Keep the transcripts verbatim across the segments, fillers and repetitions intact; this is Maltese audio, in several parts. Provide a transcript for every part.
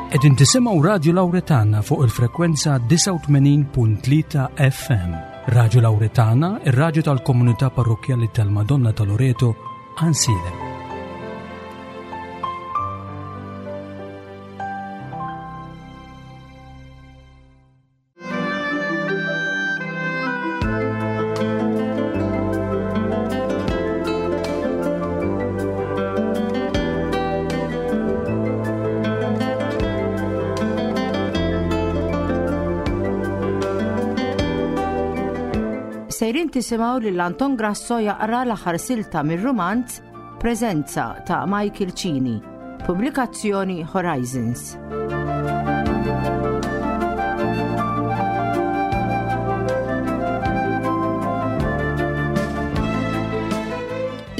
Qegħdin tisimgħu Radio Lauretana fuq il-frekwenza disgħa u tmenin punt tlieta F M. Radio Lauretana, ir-radju tal-komunità parrokkjali tal-Madonna ta' Loreto, Għajnsielem. Sejrin tisimgħu lil Anton Grasso jaqra l-aħħar silta mir-rumanz Preżenza ta' Michael Cini, pubblikazzjoni Horizons.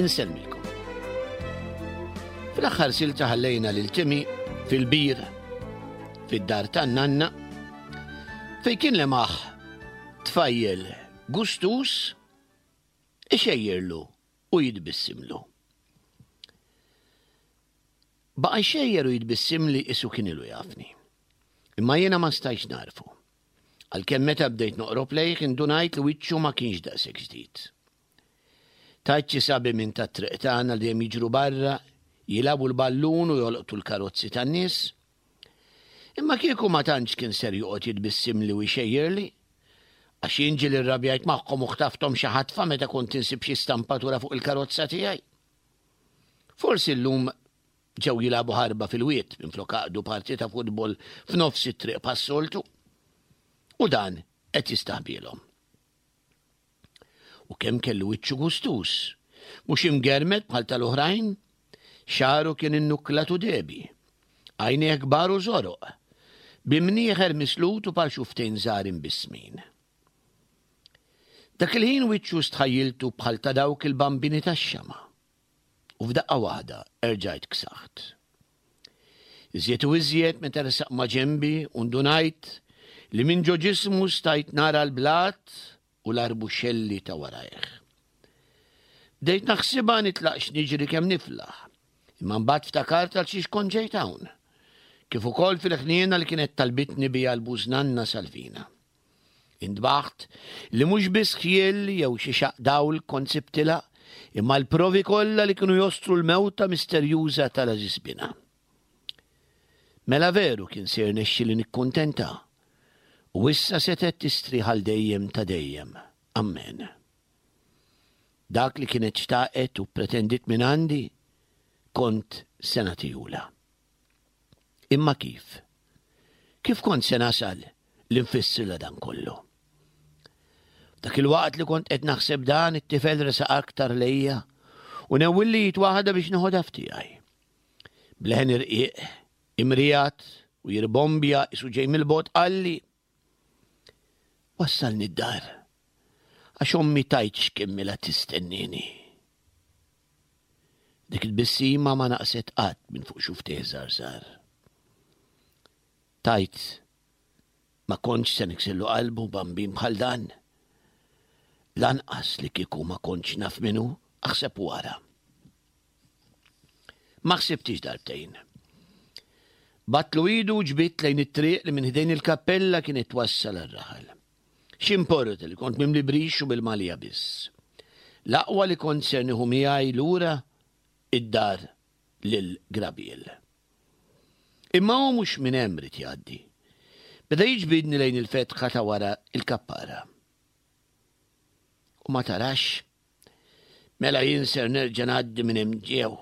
Insellmilkom. Fl-aħħar silta ħallejna lil Timmy fil-bir fid-dar tan-nanna fejn kien lemaħ tfajjel gustus ixejjerlu u jitbissimlu. Baqa' jxejjer u jitbissimli qisu kien ilu jafni. Imma jiena ma stajtx nagħrfu. Għalkemm meta bdejt noqrob lejh indunajt li wiċċu ma kienx daqshekk ġdid. Tajt xi sabi minn tat-triq tagħna li dejjem jiġru barra, jilagħbu l-ballun u jolqtu l-karozzi tan-nies. Imma kieku ma tantx kien ser joqgħod jitbissimli u jxejjerli, għax jien ġieli rrabjajt magħhom u ħtafthom xi ħatfa meta kont insib xi stampatura fuq il-karozza tiegħi. Forsi llum ġew jilagħbu ħarba fil-wied minflok għaqdu partita futbol f'nofs it-triq bħas-soltu. U dan qed jistaħbilhom. U kemm kellu wiċċu gustus, mhux imgermed bħal tal-oħrajn, xagħru kien innukklat u dehbi, għajnejh kbar u żoroq, b'imnieħer mislut u par xufftejn żgħar imbissmin. Dak il-ħin wiċċu stħajjiltu bħal ta' dawk il-bambini tax-xama. U f'daqqa waħda erġajt ksaħt. Iżjed u iżjed meta resaq ma' ġenbi u ndunajt li minn ġo ġismu stajt nara l-blat u l-arbuxelli ta' warajh. Bdejt naħsibha nitlaqx niġri kemm niflaħ, imma mbagħad ftakart għal xiex kont ġejt hawn, kif ukoll fil-ħniena li kienet talbitni biha l-bużnanna Salvina. Intbaħt li mhux biss ħjiel jew xi xaq dawl kont sibtilha, imma l-provi kollha li kienu jostru l-mewta misterjuża tal-għażiż binha. Mela veru kien ser nexxi li nikkuntenta u issa setet tistrieħ għal dejjem ta' dejjem. Amen. Dak li kienet xtaqet u pretendit minn għandi kont se nagħtihulha. Imma kif? Kif kont se nasal li nfissirla dan kollu? Dak il-waqt li kont qed naħseb dan, it-tifel resaq aktar lejja u newwilli id waħda biex noħodha f'tiegħi. B'leħen irqiq, imriegħed u jirbombja qisu ġej mill-bogħod qalli: "Wassalni d-dar, għax ommi tgħidx kemm ilha tistennini." Dik il-tbissima ma naqset qatt minn fuq xufftejh żgħar. Tajt, ma kontx se niksirlu qalbu bambin bħal dan. Lanqas li kieku ma kontx naf min hu, aħseb wara. Ma ħsibtix darbtejn. Bgħattlu idu u ġbidt lejn it-triq li minn ħdejn il-kappella kienet twassal għar-raħal. X'importa li kont mimli brix u bil-malja biss? L-aqwa li kont ser nieħu miegħi lura id-dar lil Grabiel. Imma hu mhux minn hemm ried jgħaddi. Beda jiġbidni lejn il-fetħa ta' wara il-kappara. "U ma tarax? Mela jien ser nerġa' ngħaddi minn hemm ġew,"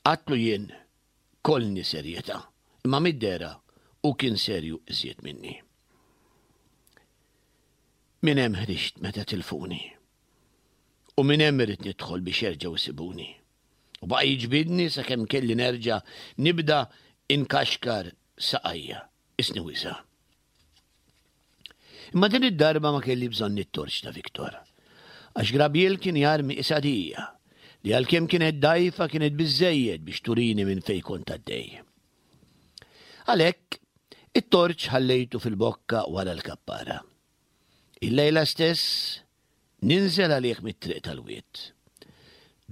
għedtlu jien kollni serjetà, imma mid-dehra hu kien serju iżjed minni. "Minn hemm ħriġt meta tilfuni. U minn hemm irrid nidħol biex jerġgħu jsibuni." U baqa' jiġbidni sakemm kelli nerġa' nibda inkaxkar saqajja, qisni wiżgħa. Imma din id-darba ma kelli bżonn it-torċ ta' Viktor. Għax Grabiel kien jarmi qisha dija, li għalkemm kienet dgħajfa kienet biżżejjed biex turini minn fej kont għaddej. Għalhekk, it-torċ ħallejtu fil-bokka wara l-kappara. Il-lejla stess ninżel għalih mit-triq tal-wied.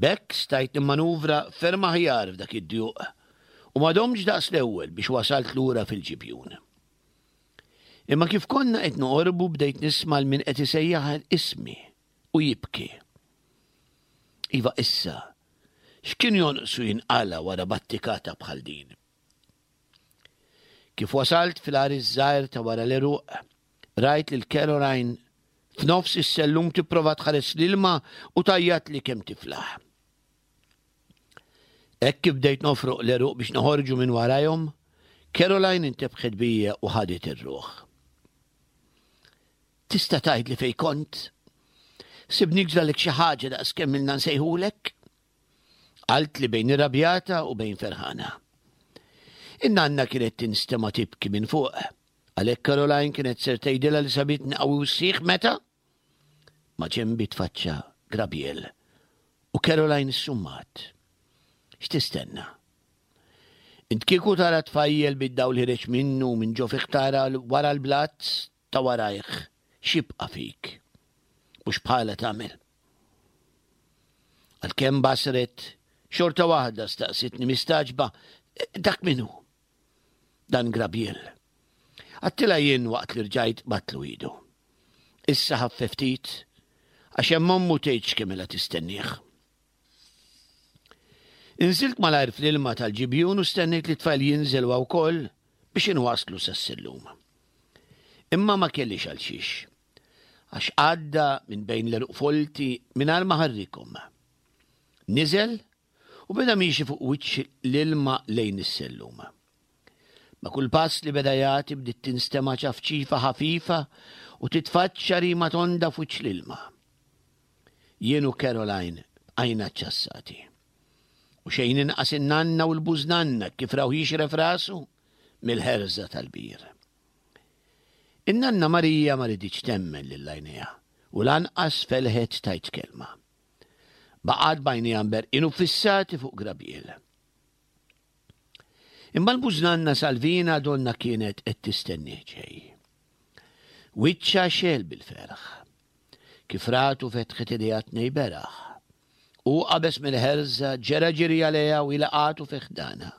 B'hekk stajt nimmanuvra ferm aħjar f'dak id-djuq U ma domtx daqs l-ewwel biex wasalt lura fil-ġibjun. Imma kif konna qed noqorbu bdejt nisma' 'l min qed isejjaħ ismi u jibki. Iva issa, x'kien jonqsu jinqala wara battikata bħal din? Kif wasalt fil-għar iż-żgħir ta' wara l-għeruq, rajt lil Caroline f'nofs is-sellum tipprova tħares l-ilma u tgħajjatli kemm tiflaħ. Hekk kif bdejt nofroq l-għeruq biex noħorġu minn warajhom, Caroline intebħet bija u ħadet ir-ruħ. Tista' tgħidli fejn kont? Sibnik ġralek xi ħaġa daqs kemm ilna nsejħulek? Qaltli bejn irrabjata u bejn ferħana. In-nanna kienet tinstema' tibki minn fuq. Għalhekk Caroline kienet ser tgħidilha li sabitni qawwi u sħiħ meta ma' ġenbi tfaċċa Grabiel u Caroline issummat. X'tistenna? Int kieku tara tfajjel bid-dawl ħireġ minnu minn ġo fih tara wara l-blat ta' warajh x'jibqa' fik. Mhux bħala tagħmel. Għalkemm basret, xorta waħda staqsitni mistagħġba, dak min hu? Dan Grabiel. Għedtilha jien waqt li rġajt batlu idu. Issa ħaffef ftit, għax hemm ommu tgħidx kemm ilha tistennieh. Inżilt malajr fl-ilma tal-ġibjun u stennejt li t-tfajl jinżel huwa wkoll biex inwasslu sas-sellum. Imma ma kellix għal xiex, għax għadda minn bejn l-għeruq folti mingħajr ma ħarrikhom. Niżel u beda miexi fuq wiċċ l-ilma lejn is-sellum. Ma' kull pass li beda jagħti bdiet tinstema' ċafċifa ħafifa u titfaċċa rima tonda f'wiċċ l-ilma. Jien u Caroline bqajna ċċassati. U xejn inqas in-nanna u l-bużnanna kif raw jixref rasu mill-ħerża tal-bir. In-nanna Marija ma riditx temmen lil għajnejha u lanqas felħet tgħid kelma. Baqgħet b'għajnejha mberqin u fissati fuq Grabiel. Imma l-bużnanna Salvina donna kienet qed tistennieh ġej. Wiċċha xegħel bil-ferħ. Kif ratu fetħet idejha tnejn beraħ. U qabeż mill-ħerża, ġera ġiri għaliha u laqatu fi ħdanha.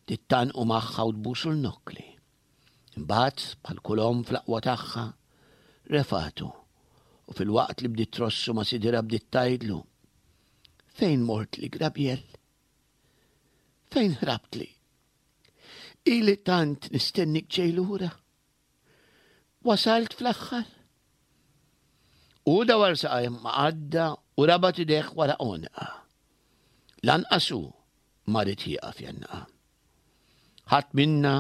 Bdiet tgħannqu magħha u tbusu l-nokkli. Imbagħad, bħal kull omm fl-aqwa tagħha, refatu u fil-waqt li bdiet trossu ma' sidirha bdiet tgħidlu, Fejn mortli, Grabiel? Fejn ħrabtli? Ili tant nistennik ġej lura. Wasalt fl-aħħar. U dawar saqajh ma' qaddha u rabat idejh wara għonqha. Lanqas hu ma ried jieqaf jgħannaqha. Ħadd minna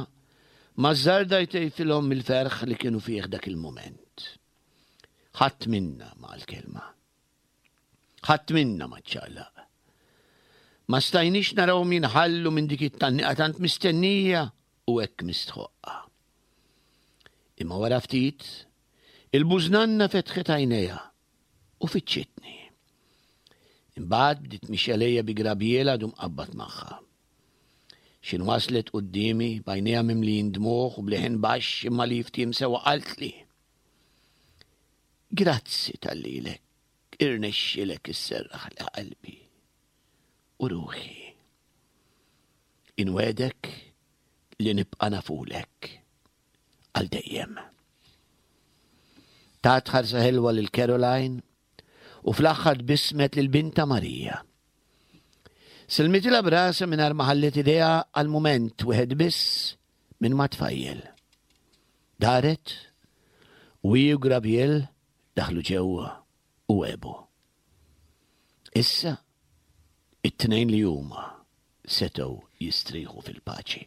ma żżarda jtejfilhom mill-ferħ li kienu fih dak il-mument. Ħadd minna ma qal kelma. Ħadd minna ma ċċaqlaq. Ma stajniex narawhom jinħallu minn dik it-tgħanniqa tant mistennija u hekk mistħoqqa. Imma wara ftit, il-bużnanna fetħet għajnejha u fittxitni. Imbagħad bdiet mixja lejja bi Grabiel għadu mqabbad magħha. X'in waslet quddiemi b'għajnejha mimlijin dmugħ u b'leħen baxx imma li jiftiem sewwa qaltli, Grazzi talli lilek irnexxielek isserraħli qalbi u ruħi. Inwegħdek li nibqa' nafulek għal dejjem. Tat ħarsa ħelwa lil Caroline u fl-aħħar tbissmet lil binta Marija. Sellmitilha b'rasha mingħajr ma ħalliet idejha għal mument wieħed biss minn mat-tfajjel. Daret u hi u Grabiel daħlu ġewwa u għebu. Issa it-tnejn li huma setgħu jistrieħu fil-paċi.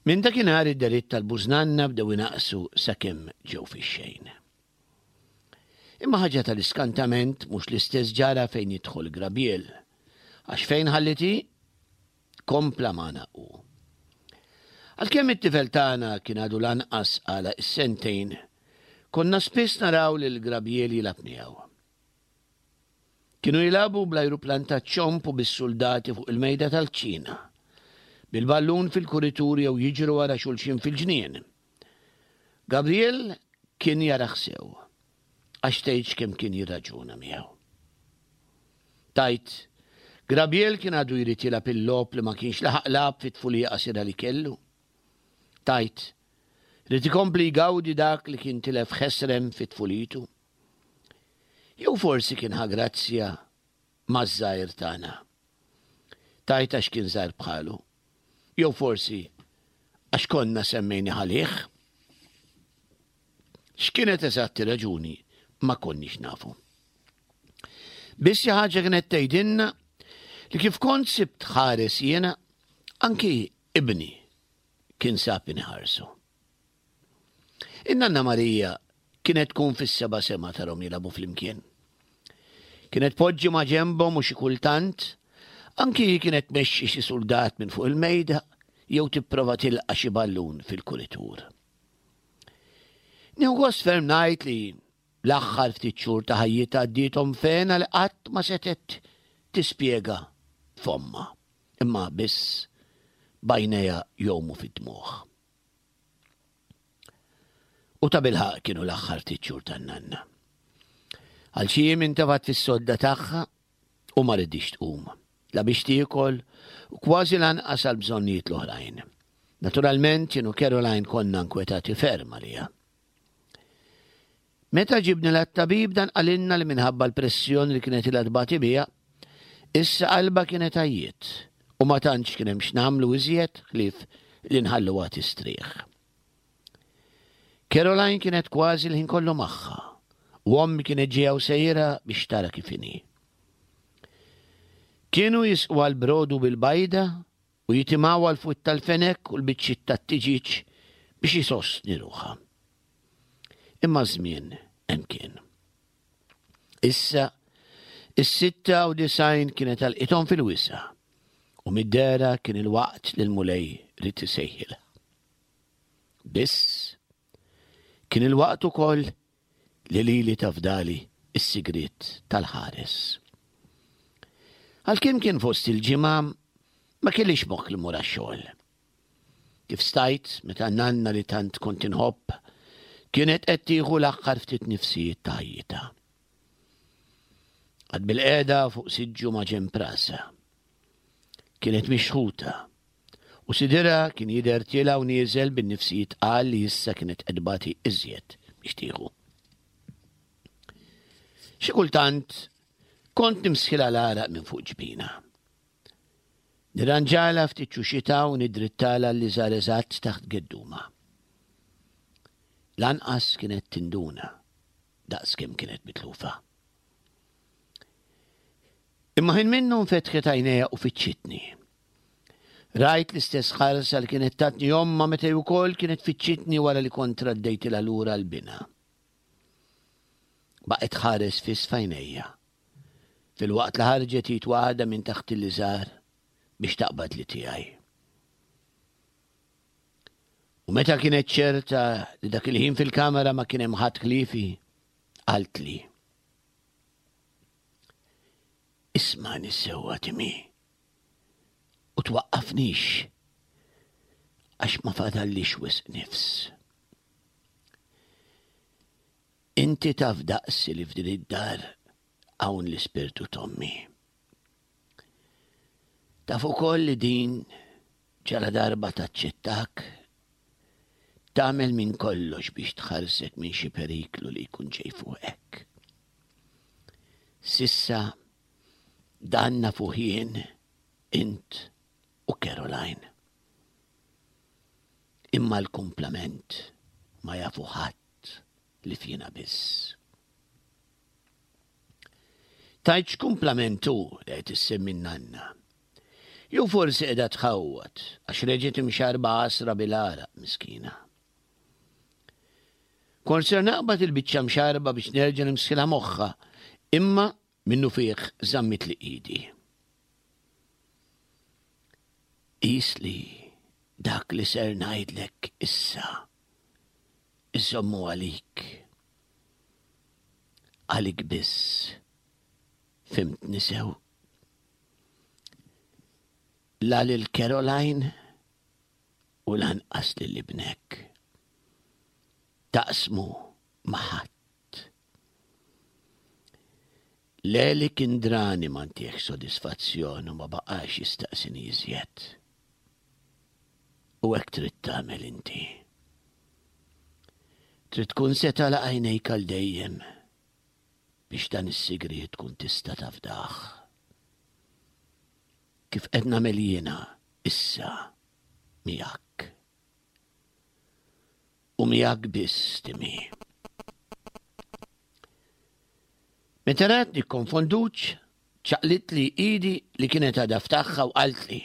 Minn dakinhar id-deritt tal-bużnanna bdew inaqqsu sakemm ġew fix-xejn. Imma ħaġa tal-iskantament mhux l-istess ġara fejn jidħol Grabiel, għax fejn ħallit hi, kompla magħna hu. Għalkemm it-tifel tagħna kien għadu lanqas għalaq is-sentejn, konna spiss naraw lil Grabiel jilgħab miegħu. Kienu jilagħbu bl-ajruplan taċ-ċomb u bis-suldati fuq il-mejda tal-kċina, bil-ballun fil-kuritur jew jiġru wara xulxin fil-ġnien. Gabriel kien jarah sew, għax tgħidx kemm kien jirraġuna miegħu. Tgħid, Grabiel kien għadu jrid jilgħab il-logħob li ma kienx laħaq lagħab fit-tfulija qasira li kellu. Tajt, ried ikompli jgawdi dak li kien tilef ħesrem fit-tfulitu. Jew forsi kien ħa grazzja maż-żgħir tagħna. Tajt għax kien żgħir bħalu. Jew forsi għax konna semmejni għalih. X'kienet eżatt ir-raġuni ma konniex nafu. Biss xi ħaġa kienet tgħidilna li kif kont sibt ħares jiena, anki ibni kien sab inħarsu. In-nanna Marija kienet tkun fis-seba' sema tarhom jilagħbu flimkien. Kienet poġġi ma' ġenbhom u xi kultant anki hi kienet tmexxi xi suldat minn fuq il-mejda jew tipprova tilqa' xi ballun fil-kuritur. Nieħu gost ferm ngħid li l-aħħar ftit xhur ta' ħajjitha għaddiethom f'hena li qatt ma setgħet tispjega f'fommha, imma biss b'għajnejha jgħumu fid-dmugħ. U tabilħaqq kienu l-aħħar ftit xhur tan-nanna. Għal xi jiem intefgħet fis-sodda tagħha u ma riditx tqum, la biex tiekol u kważi lanqas għal bżonnijiet l-oħrajn. Naturalment jien u Caroline konna nkwetati ferm għaliha. Meta ġibnilha t-tabib dan qalilna li minħabba l-pressjoni li kienet ilha tbati biha, issa qalbha kienet għajjiet u ma tantx kien hemm x'nagħmlu iżjed ħlief li nħalluha tistrieħ. Caroline kienet kważi l-ħin kollu magħha u ommi kienet ġejja u sejra biex tara kif inhi. Kienu jisqwa l-brodu bil-bajda u jitimgħuha l-fwied tal-fenek u l-biċċiet tat-tiġieġ biex isostni ruħha. Imma żmien hemm kien. Issa, is-sitta u disgħin kienet għalqithom fil-wisa' u mid-dehra kien il-waqt li l-Mulej ried isejħilha. Biss, kien il-waqt ukoll li lili tafdali s-sigriet tal-ħares. Għalkemm kien fost il-ġimgħa, ma kellix moħħ li mmur għax-xogħol. Kif stajt meta nanna li tant kont inħobb kienet qed tieħu l-aħħar ftit nifsijiet ta' ħajjitha. Qgħadt bilqiegħda fuq siġġu ma' ġenb rasha. Kienet mixħuta u sidirha kien jidher tiela' u nieżel bin-nifsijiet tqal li issa kienet qed tbati iżjed biex tieħu. Xi kultant kont nimsħilha l-għaraq minn fuq ġbinha. Nirranġalha ftit ċuxitha u nidrittalha l-liżar eżatt taħt geddumha. Lanqas kienet tinduna daqs kemm kienet mitlufa. Imma ħin minnhom fetħet għajnejha u fittxitni. Rajt l-istess ħarsa li kienet tatni ommha meta hi wkoll kienet fittxitni wara li kont raddejtilha lura l-binha. Baqgħet tħares fiss f'għajnejja filwaqt li ħarġet id waħda minn taħt il-liżar biex taqbad li tiegħi. U meta kienet ċerta li dak il-ħin fil-kamera ma kien hemm ħadd ħliefi, qaltli. Ismagħni sewwa Timmy u twaqqafnix għax ma fadallix wisq nifs. Inti taf daqsi li f'din id-dar hawn l-ispirtu t'ommi. Taf ukoll li din ġala darba taċċettak tagħmel minn kollox biex tħarsek minn xi periklu li jkun ġej fuqek. Sissa dan nafuh jien, int u Caroline. Imma l-kumplament ma jafu ħadd li fina biss. Tgħid x'kumplament hu li qed issemmi n-nanna? Jew forsi qiegħda tħawwad għax reġgħet imxarrba għasra bil-għaraq miskina. Kont ser naqbad il-biċċa mxarrba biex nerġa' nimsħilha moħħha, imma minnufih żammitli idi. Qis li dak li ser ngħidlek issa iżommu għalik. Għalik biss. Fhimtni sew? La lil Caroline u lanqas lil ibnek. Taqsmu ma' ħadd. Leli kien drani ma ntihx sodisfazzjon u ma baqax jistaqsini iżjed. U hekk trid tagħmel inti. Trid tkun se tagħlaq għajnejk għal dejjem biex dan is-sigriet tkun tista' tafdah. Kif qed nagħmel jiena issa miegħek. U miegħek biss, Timmy. Meta ratni konfonduċ, ċaqlitli idi li kienet għadha f'tagħha u qaltli: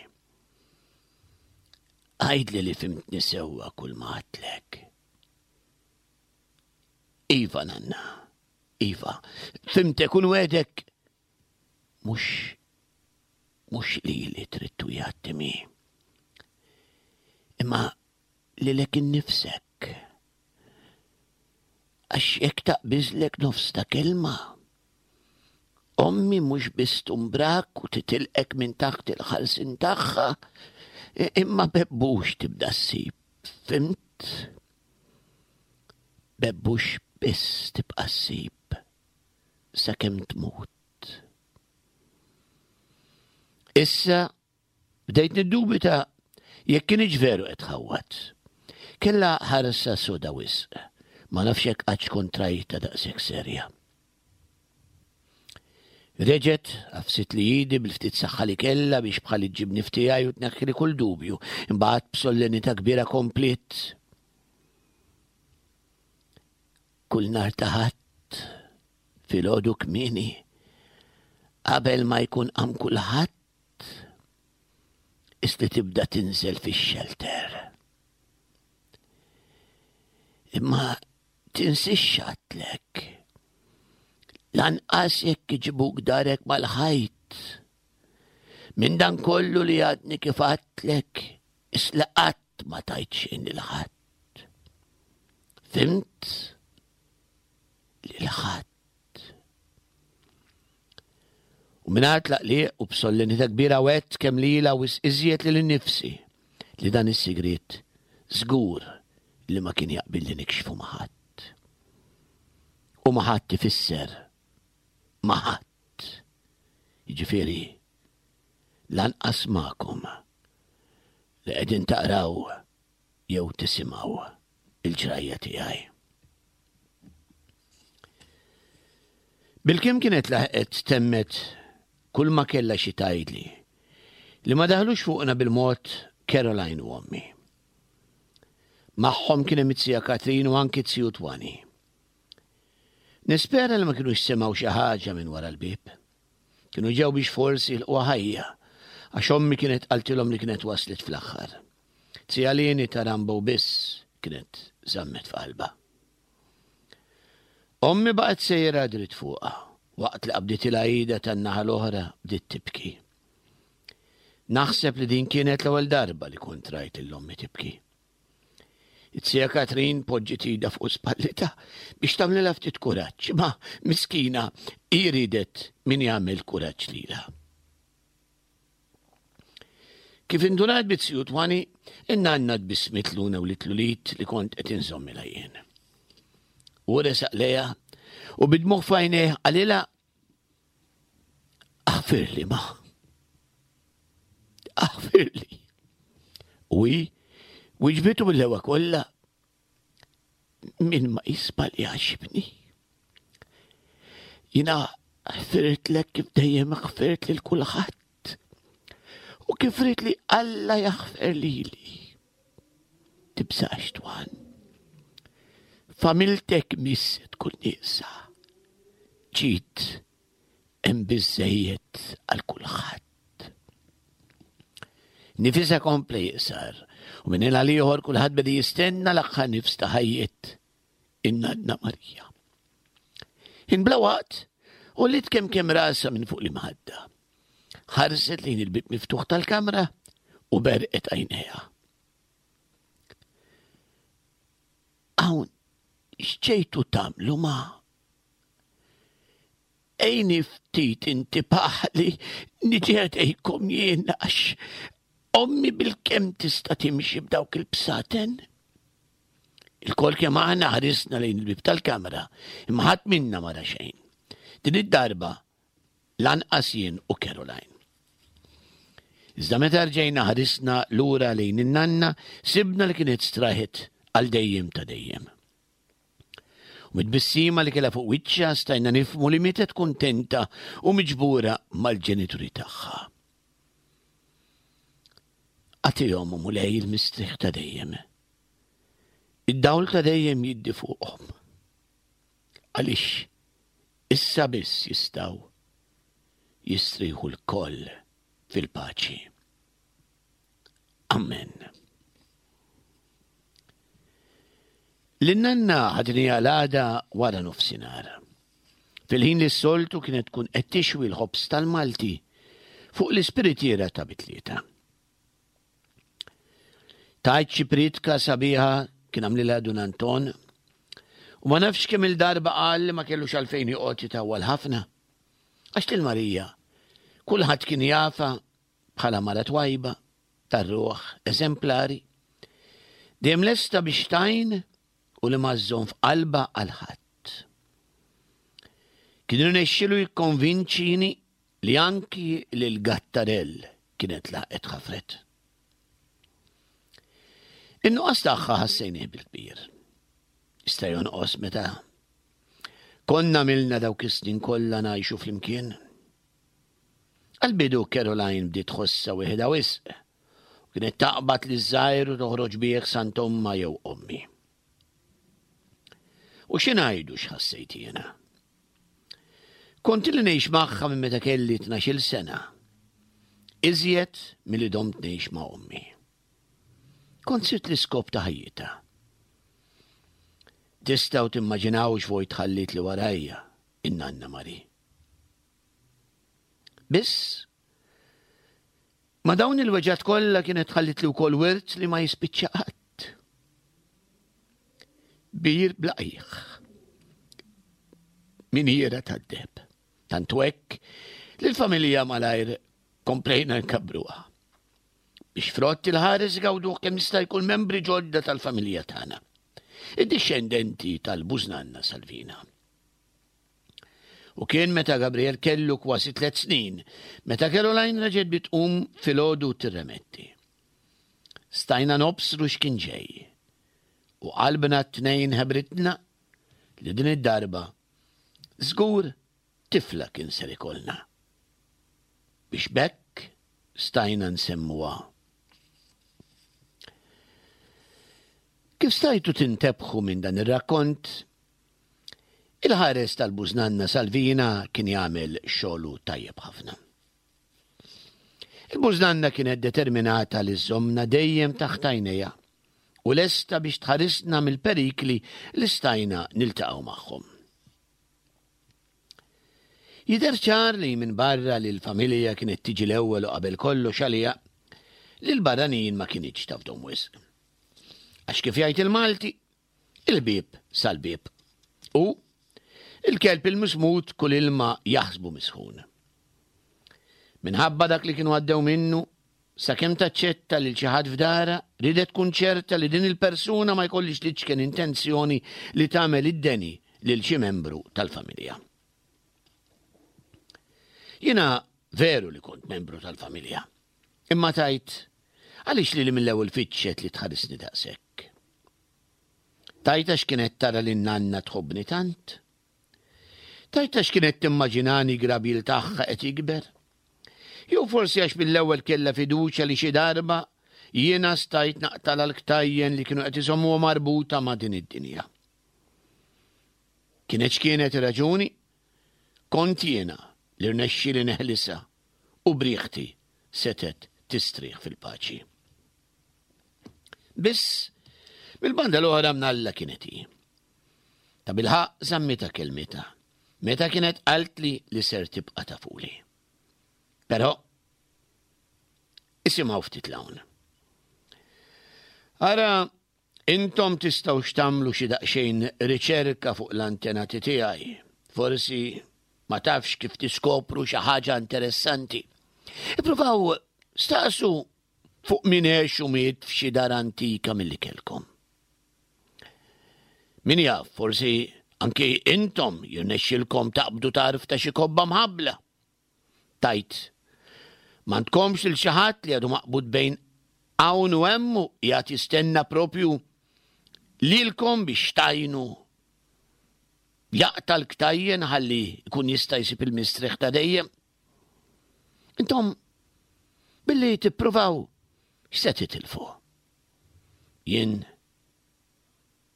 Għidli li fhimtni sewwa kull ma għedtlek. Iva, nanna, iva, fhimtek u nwegħdek mhux mhux lili trid twiegħed, Timmy. Imma lilek innifsek. Għax jekk taqbiżlek nofs ta' kelma, ommi mhux biss tumbrak u titilqek minn taħt il-ħarsien tagħha, imma bebbux tibda ssib, fhimt? Bebbux biss tibqa' ssib sakemm tmut. Issa bdejt niddubita jekk kienx veru qed tħawwad. Kellha ħarsa soda wisq, ma nafx jekk qattx kont rajtha daqshekk serja. Reġgħet għafsitli idi bil-ftit saħħa li kellha biex bħal iġġibni f'tiegħi u tneħħili kull dubju, imbagħad b'solennità kbira kompliet. Kull nhar ta' Ħadd filgħodu kmieni, qabel ma jkun qam kulħadd, isli tibda tinżel fix-xelter. Imma tinsiex x'għedtlek. Lanqas jekk iġibuk darek mal-ħajt. Minn dan kollu li għadni kif għedtlek, isli qatt ma tajt xejn lil ħadd. Fhimt? Lil ħadd. U mingħajr tlaqliq u b'solennità kbira wegħedt kemm lilha u iżjed lili nnifsi li dan is-sigriet żgur li ma kien jaqbilli nikxfu ma' ħadd. U ma' ħadd ifisser ma' ħadd. Jiġifieri lanqas magħkom li qegħdin taqraw jew tisimgħu il-ġrajja tiegħi. Bilkemm kienet laħqet temmet kull ma kellha xi tgħidli, li ma daħlux fuqna bil-mod Caroline u ommi. Magħhom kien hemm it-tija Katrin u anki t-tiju Twani. Nispera li ma kinux semgħu xi ħaġa minn wara l-bieb. Kienu ġew biex forsi jilqgħuha ħajja, għax ommi kienet qaltilhom li kienet waslet fl-aħħar. Tija Lini ta' Rambo biss kienet żammet f'qalbha. Ommi baqgħet sejra dritt fuqha, waqt li qabditilha idha tan-naħa l-oħra bdiet tibki. Naħseb li din kienet l-ewwel darba li kont rajt lil ommi tibki. It-tija Katrin poġġiet idha fuq spallitha biex tagħmlilha ftit kuraġġ, imma miskina hi riedet min jagħmel kuraġġ lilha. Kif indunat bit-tiju Twani, in-nanna tbissmitlu newlitlu l-id li kont qed inżommilha jien. U resaq lejha u bid-dmugħ f'għajnejh qalilha: Aħfirli ma. Aħfirli. U hi wiġbitu bil-lewa kollha: Min ma jisbaljax ibni. Jiena ħfirtlek kif dejjem ħfirt lil kulħadd. U kif rrid li Alla jaħfer lili. Tibżax Twan. Familtek miss tkun nieqsa. Ġid hemm biżżejjed għal kulħadd. Nifisha kompla jiqsar u minn ħin għal ieħor kulħadd beda jistenna l-aħħar nifs ta' ħajjet in-nanna Marija. Ħin bla waqt għolliet kemm kemm rasha minn fuq l-imħadda. Ħarset lejn il-bieb miftuħ tal-kamra u berqet għajnejha. Hawn x'ġejtu tagħmlu ma? Ejni ftit inti paħli niġi ħdejkom jien għax ommi bil-kemm tista' timxi b'dawk il-bsaten. Il-kol kemm aħna ħarisna lejn il-bieb tal-kamra, imma ħadd minna ma ra xejn. Din id-darba Lanqas jien u Caroline. Iżda meta rġejna ħarisna lura lejn in-nanna, sibna li kienet straħet għal dejjem ta' dejjem. U mit-tbissima li kellha fuq wiċċha stajna nifhmu li mietet kuntenta u miġbura mal-ġenituri tagħha. Agħtihom, Mulej, il-mistrieħ ta' dejjem. Id-dawl ta' dejjem jiddi fuqhom. Għaliex issa biss jistgħu jistrieħu lkoll fil-paċi. Amen. Lin-nanna ħadniha l-għada wara nofsinhar. Fil-ħin li s-soltu kienet tkun qed tixwi l-ħobż tal-Malti fuq l-ispiritiera ta' bitlieta. Tajt xi pritka sabiħa kien għamlilha Dun Anton u ma nafx kemm il-darba qal li ma kellux għalfejn joqgħod jitawwal ħafna. Għax lil Marija kulħadd kien jafha bħala mara twajba, tar-ruħ, eżemplari, dejjem lesta biex tgħin u li ma żżomm f'qalbha għal ħadd. Kien irnexxielu jikkonvinċini li anki lil Gattarell kienet laqgħet ħafret. In-nuqqas tagħha ħassejnih bil-kbir. Jista' jonqos meta konna milna dawk is-snin kollha ngħixu flimkien. Għal-bidu Caroline bdiet tħossha wieħda wisq u kienet taqbad li żgħir u toħroġ bih sant omma jew ommi. U xi ngħidu x'ħassejt jiena? Kont li ngħix magħha minn meta kelli tnax-il sena. Iżjed milli domt ngħix ma' ommi. Kont sirt l-iskop ta' ħajjitha. Tistgħu timmaġinaw x'vojt ħalliet li warajja in-nanna Mari. Biss, ma dawn il-weġgħat kollha kienet ħallit li wkoll wirt li ma jispiċċa qatt. Bir bla qiegħ. Miniera tad-deheb. Tant hekk li l-familja malajr komplejna nkabbruha. Biex frott il-ħares gawduh kemm jista' jkun membri ġodda tal-familja tagħna. Id-dixxendenti tal-bużnanna Salvina. U kien meta Gabriel kellu kważi tliet snin, meta Caroline reġgħet bdiet tqum filgħodu tirremetti. Stajna nobsru x'kien ġej. U qalbna t-tnejn ħebritna li din id-darba żgur tifla kien ser ikollna. Biex b'hekk stajna nsemmuha. Kif stajtu tintebħu minn dan ir-rakkont, il-ħares tal-bużnanna Salvina kien jagħmel xogħlu tajjeb ħafna. Il-bużnanna kienet determinata li żżommna dejjem taħt għajnejha u lesta biex tħarisna mill-perikli li stajna niltaqgħu magħhom. Jidher ċar li minn barra li l-familja kienet tiġi l-ewwel u qabel kollox għaliha, li l-barranin ma kinitx tafdhom wisq. Għax kif jgħid il-Malti, il-bieb sal-bieb. U il-kelb il-mismut kull ilma jaħsbu misħun. Minħabba dak li kienu għaddew minnu, sakemm taċċetta lil xi ħadd f'dara, ridet tkun ċerta li din il-persuna ma jkollix liċken intenzjoni li tagħmel id-deni lil xi membru tal-familja. Jiena veru li kont membru tal-familja, imma tajt għaliex li li mill-ewwel fittxet li tħarisni daqshekk. Tajt għax kienet tara li n-nanna tħobbni tant? Tajt għax kienet timmaġinani grabil tagħha qed jikber? Jew forsi għax mill-ewwel kellha fiduċja li xi darba jiena stajt naqtala l-ktajjen li kienu qed iżommuha marbuta ma' din id-dinja. Kienet x'kienet ir-raġuni? Kont jiena li rnexxieli neħlisha u briħti setet tistrieħ fil-paċi. Biss, mill-banda l-oħra mnalla kienet hi. Ta' bilħaqq żammita kelmita, meta kienet qaltli li ser tibqa' tafuli. Però, isimgħu ftit l-hawn. Ara, intom tistgħu x'tagħmlu xi daqsxejn riċerka fuq l-antenati tiegħi. Forsi ma tafx kif tiskopru xi ħaġa interessanti. Ippruvaw staqsu fuq min għex u miet f'xi dar antika milli kellkom. Min jaf, forsi anki intom jirnexxilkom taqbdu tarf ta' xi kobba mħabbla. Tajt, m'għandkomx lil xi ħadd li għadu maqbud bejn hawn u hemm u qiegħed jistenna propju lilkom biex tgħinu jaqta' l-ktajjen ħalli jkun jista' jsib il-mistrieħ ta' dejjem? Intom billi tippruvaw x'se titilfu? Jien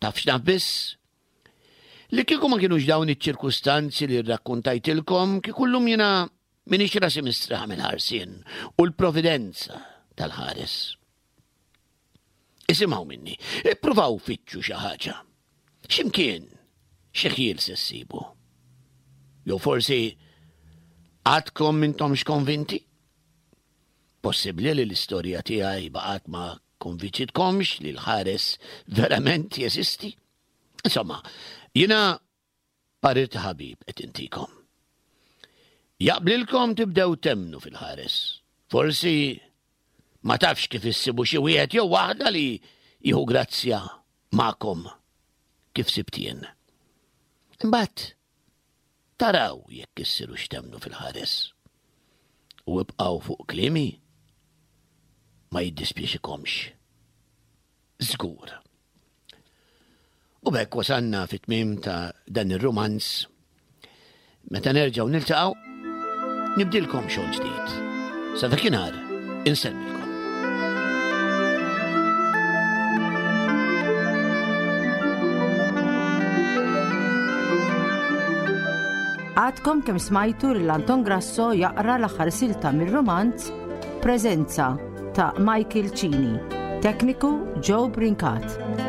taf x'naf biss? Li kieku ma kienux dawn iċ-ċirkustanzi li rrakkuntajtilkom, kieku llum jiena m'iniex rasi mistrieħa mill-ħarsien u l-providenza tal-ħares. Isimgħu minni, ippruvaw fittxu xi ħaġa. X'imkien xi ħjiel se ssibu. Jew forsi għadkom m'intomx konvinti? Possibbli li l-istorja tiegħi baqgħet ma konvinċitkomx li l-ħares verament jeżisti? Insomma, jiena parir ta' ħabib qed intikom. Jaqblilkom tibdew temmnu fil-ħares. Forsi ma tafx kif issibu xi wieħed jew waħda li jieħu grazzja magħkom kif sibt jien. Imbagħad taraw jekk issirux temmnu fil-ħares. U ibqgħu fuq kliemi ma jiddispjaċikomx. Żgur. U b'hekk wasalna fit-tmiem ta' dan ir-rumanz. Meta nerġgħu niltaqgħu, nibdilkom xogħol ġdid. Sa dakinhar insellmilkom. Għadkom kemm smajtu lil Anton Grasso jaqra l-aħħar silta mir-rumanz Preżenza ta' Michael Cini. Tekniku Joe Brincat.